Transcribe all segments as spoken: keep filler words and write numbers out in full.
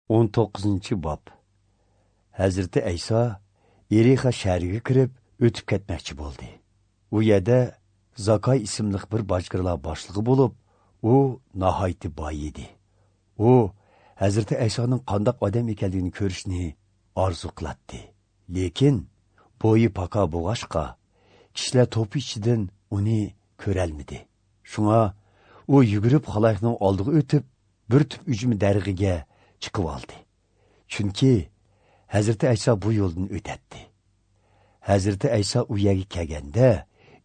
o'n to'qqizinchi bob. Hazrati Ayso Yerixa shahriga kirib o'tib ketmoqchi bo'ldi. U yerda Zakay ismli bir bojxonalar boshlig'i bo'lib, u nihoyatda boy edi. U Hazrati Aysoning qandoq odam ekanligini ko'rishni orzu qiladi. Lekin bo'yi paka bo'lg'achqa kishilar to'pi ichidan uni ko'rolmadi. Shunga u yugurib xaloyiqning oldiga o'tib, bir tup ujumi darg'iga chiqib oldi. Chunki Hazrati Ayso bu yo'ldan o'tadi. Hazrati Ayso u yerga kelganda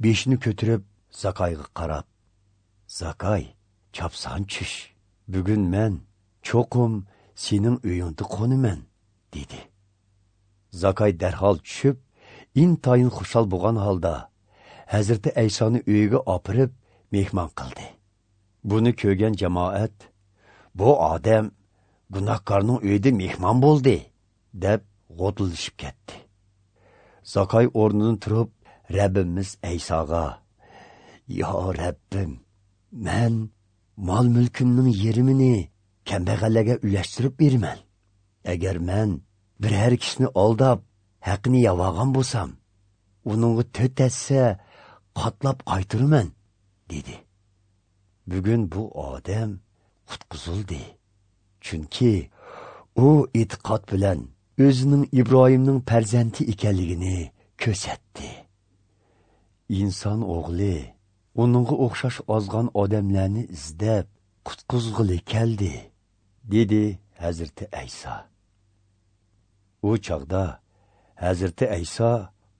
beshini ko'tarib Zakayga qarab, "Zakay, chapsan tush. Bugun men cho'qim sening uyingda qo'naman" dedi. Zakay darhol tushib, intayin xushal bo'lgan holda Hazrati Aysoni uyiga opirib mehmon qildi. Buni ko'rgan jamoat, "Bu odam gunohkorning uyida mehmon bo'ldi" deb g'o'tilishib ketdi. Zakay o'rnidan turib, Rabbimiz Aysoga, "Ya Rabbim, men mol-mulkimning yerimini kambag'allarga ulashtirib beraman. Agar men biror kishini aldab, haqini yavagan bo'lsam, uningga to'rt hassa qatlab qaytiraman" dedi. Bugun bu odam qutqizildi. Chunki u e'tiqod bilan o'zining Ibrohimning farzandi ekanligini ko'rsatdi. Inson o'g'li uningga o'xshash ozgan odamlarni izlab qutqizg'ili keldi, dedi Hazrati Ayso. U chog'da Hazrati Ayso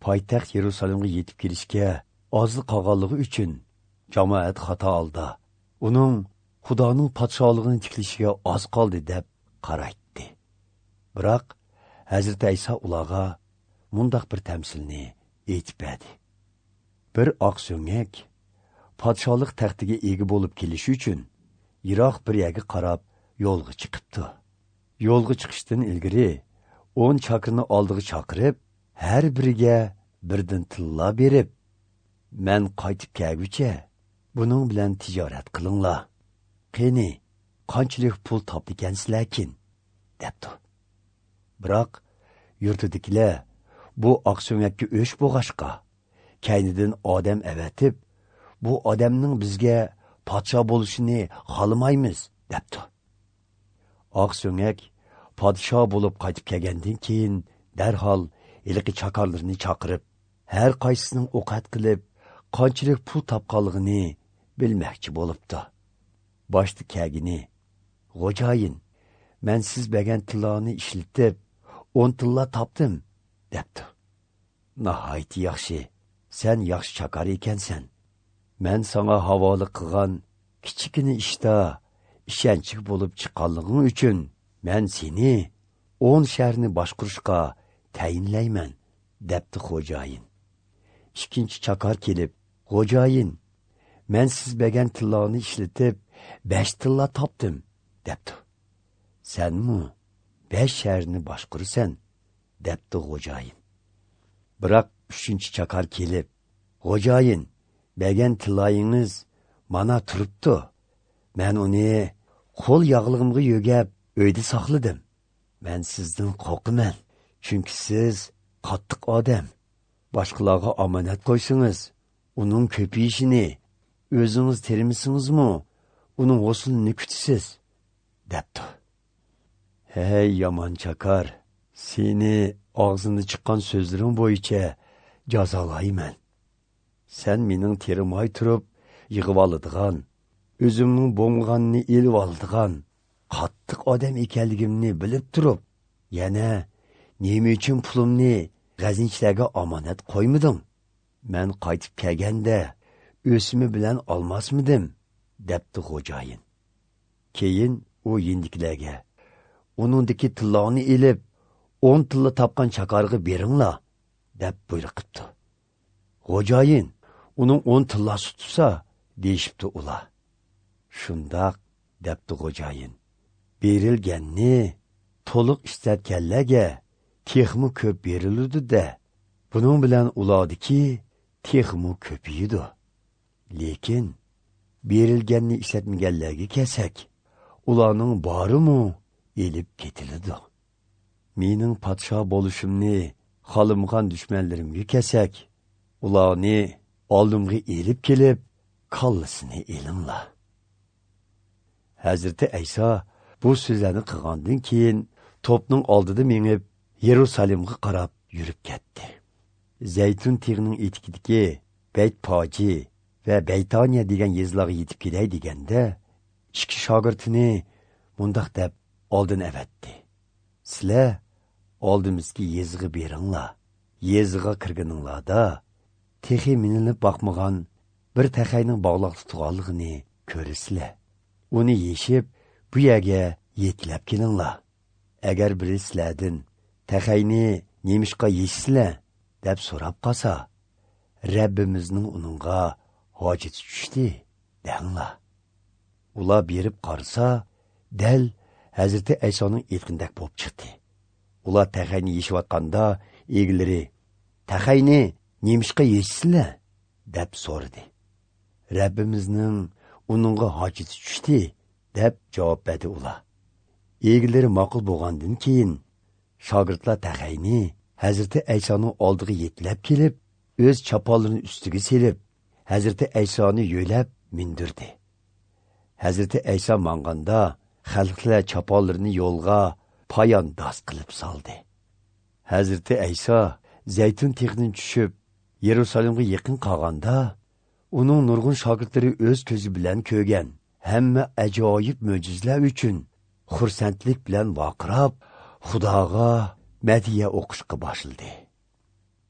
poytaxt Yerusalimga yetib kelishga oz qolganligi uchun jamoat xato oldi. Uning Xudoning podsholig'ini tiklashiga oz qoldi deb qaraytdi. Biroq Hazrati Ayso ularga mundaq bir tamsilni aytib berdi. Bir oq so'ngak podsholik taxtiga ega bo'lib kelishi uchun yiroq bir yerga qarab yo'lga chiqibdi. Yo'lga chiqishdan ilgari o'n chakirni oldiga chaqirib, har biriga birdan tilla berib, "Men qaytib kelguncha buning bilan tijorat qilinglar. Qani, qanchalik pul topdikansizlarkin?" debdi. Biroq yurtidagilar bu oq so'ngakka o'ch bo'g'ashqa kaynidan odam avatib, "Bu odamning bizga podsho bo'lishini xohlamaymiz" debdi. Oq so'ngak podsho bo'lib qaytib kelgandan keyin darhol iliqi chakorlarni chaqirib, har qaysisining ovqat qilib, qanchalik pul topganligini bilmoqchi bo'libdi. Boshda kelgini, "Xo'jayin, men siz bergan tillani ishlatib, o'n tilla topdim" debdi. "Nihoyat yaxshi, sen yaxshi chakar ekansan. Men sana havola qilgan kichikini ishda ishonchli bo'lib chiqqanliging uchun men seni o'n shaharni boshqarishga tayinlayman" debdi xo'jayin. Ikkinchi chakar kelib, "Xo'jayin, men siz bergan tillani ishlatib, besh tilla topdim" debdi. "Senmi besh shaharni boshqarasan" debdi xo'jayin. Biroq uchinchi chakar kelib, "Xo'jayin, bergan tillayingiz mana turibdi. Men uni qo'l yog'lig'imga yo'gab uyda saqladim. Men sizdan qo'rqaman, chunki siz qattiq odam. Boshqalarga omonat qo'ysangiz, uning ko'payishini o'zingiz termisingizmi, uning g'uslini kutasiz" debdi. "Hey yomon chakar, seni og'zingdan chiqqan so'zlaring bo'yicha jazolayman. Sen mening terimay turib yig'ib oladigan, o'zimning bo'mg'anini elib oladigan qattiq odam ekanligimni bilib turib, yana nima uchun pulimni g'azinchilarga omonat qo'ymading? Men qaytib kelganda o'simi bilan olmasmidim" debdi xo'jayin. Keyin u yendiklarga, "Uningdagi tillani elib, o'n tilla topgan chakarga beringlar" deb buyruqibdi. "Xo'jayin, uning o'n tillasi tutsa" deyishibdi ular. "Shundoq" debdi xo'jayin. "Berilganni to'liq ishlatganlarga texmi ko'p beriladi-da, buning bilan ulardiki texmi ko'payadi. Lekin berilganni ishlatmaganlarga kelsak, ularning borimi elib ketiladi. Mening podsho bo'lishimni xohlamagan dushmanlarimga kelsak, ularni oldimga elib kelib, kallasini elinglar. Hazrati Ayso bu so'zlarni qilgandan keyin to'pning oldida mengib Yerusalimga qarab yurib ketdi. Zaytun tig'ining etikidagi Baytpoji va Baytoniya degan yezilarga yetib kelay deganda, ikki shogirdini mundoq deb oldin avatdi: "Sizlar oldimizga yezig'i beringlar. Yeziga kirganinglarda texi minilib boqmagan bir taxayning bog'liq tutganligini ko'rasizlar. Uni yeshib bu yerga yetlab kelinglar. Agar biri sizlardan taxayni nemishqa yeshsizlar deb so'rab qolsa, Rabbimizning uningga hojati tushdi danglar." Ular berib qarasa, dal Hazrati Aysoning aytgandek bo'lib chiqdi. Ular taxayni yeshayotganda egalari: "Taxayni nemishqa yeshsizlar?" deb so'radi. "Rabbimizning uningga hojati tushdi" deb javob berdi ular. Egalari ma'qul bo'lgandan keyin shogirdlar taxayni Hazrati Aysoning oldiga yetlab kelib, o'z choponlarini ustiga selib, Hazrati Aysoni yo'lab mindirdi. Hazrati Ayso manganda xalqlar choponlarini yo'lga poyandoz qilib soldi. Hazrati Ayso Zaytun tig'idan tushib, Yerusalimga yaqin qolganda, uning nurg'un shogirdlari o'z ko'zi bilan ko'rgan hamma ajoyib mo'jizalar uchun xursandlik bilan vaqirab, Xudoga madhiya o'qishga boshladi.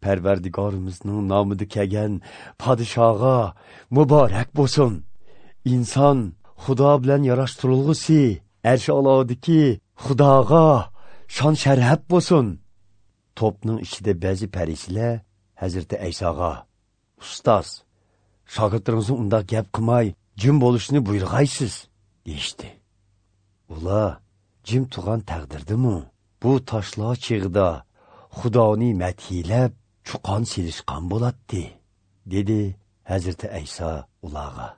Parvardigorimizning nomida kelgan podshoga muborak bo'lsin. Inson Xudo bilan yarashtirilg'usi arsh olodiki Xudoga shon sharaf bo'lsin. To'pning ichida ba'zi farishtalar Hazrati Aysoga: "Ustoz, shogirdlaringizni undoq gap qilmay, jim bo'lishni buyurg'aysiz" deyishdi. Ular jim turgan taqdirdimi bu toshlar chig'ida Xudoni madhiyalab chuqon selishgan bo'ladi, dedi Hazrati Ayso ularga.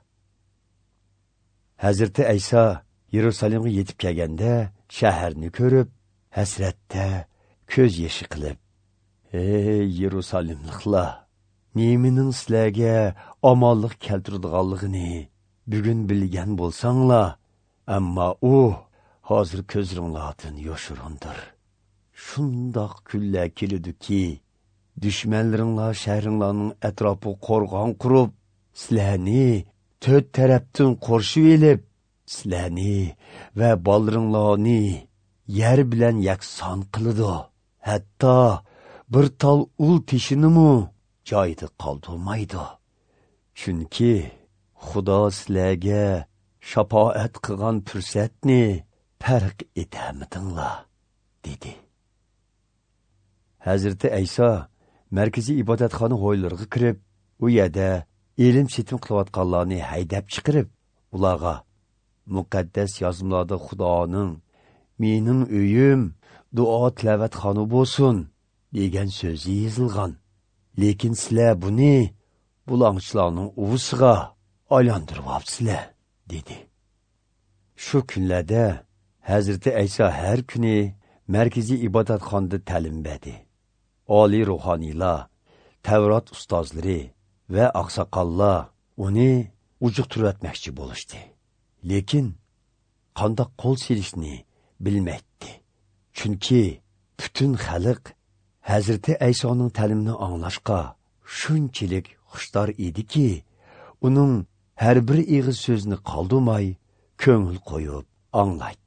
Hazrati Ayso Yerusalimga yetib kelganda shaharni ko'rib, hasratda ko'z yoshi qilib: "Ey Yerusalimliklar, nemining sizlarga omonlik keltiradiganligini bugun bilgan bo'lsanglar, ammo u hozir ko'zlaringlardan yoshirindir. Shundoq kunlar keladiki, dushmanlaringlar shahringlarning atrofi qo'rg'on qurib, sizlarni to'rt tarafdan qorshib elib, sizlarni va bolalaringlarni yer bilan yakson qiladi. Hatto bir tol ul teshinimi joyida qoldirmaydi. Chunki Xudo sizlarga shafoat qilgan fursatni farq etamidinglar" dedi. Hazrati Ayso markaziy ibodatxona hovlilariga kirib, u yerda ilm setim qilayotganlarni haydab chiqarib, ularga: "Muqaddas yozmalarda Xudoning mening uyim duo tilavatxona bo'lsin degan so'zi yozilgan. Lekin sizlar buni bulangchilarning uvisiga aylantiryapsizlar" dedi. Shu kunlarda Hazrati Ayso har kuni markaziy ibodatxonada ta'lim berdi. Oliy ruhoniylar, Tavrat ustozlari va oqsoqollar uni ujuqtirvatmoqchi bo'lishdi. Lekin qandoq qo'l selishni bilmaydi. Chunki butun xalq Hazrati Aysoning ta'limini anglashga shunchalik xushtor ediki, uning har bir ig'iz so'zini qoldirmay ko'ngil qo'yib anglaydi.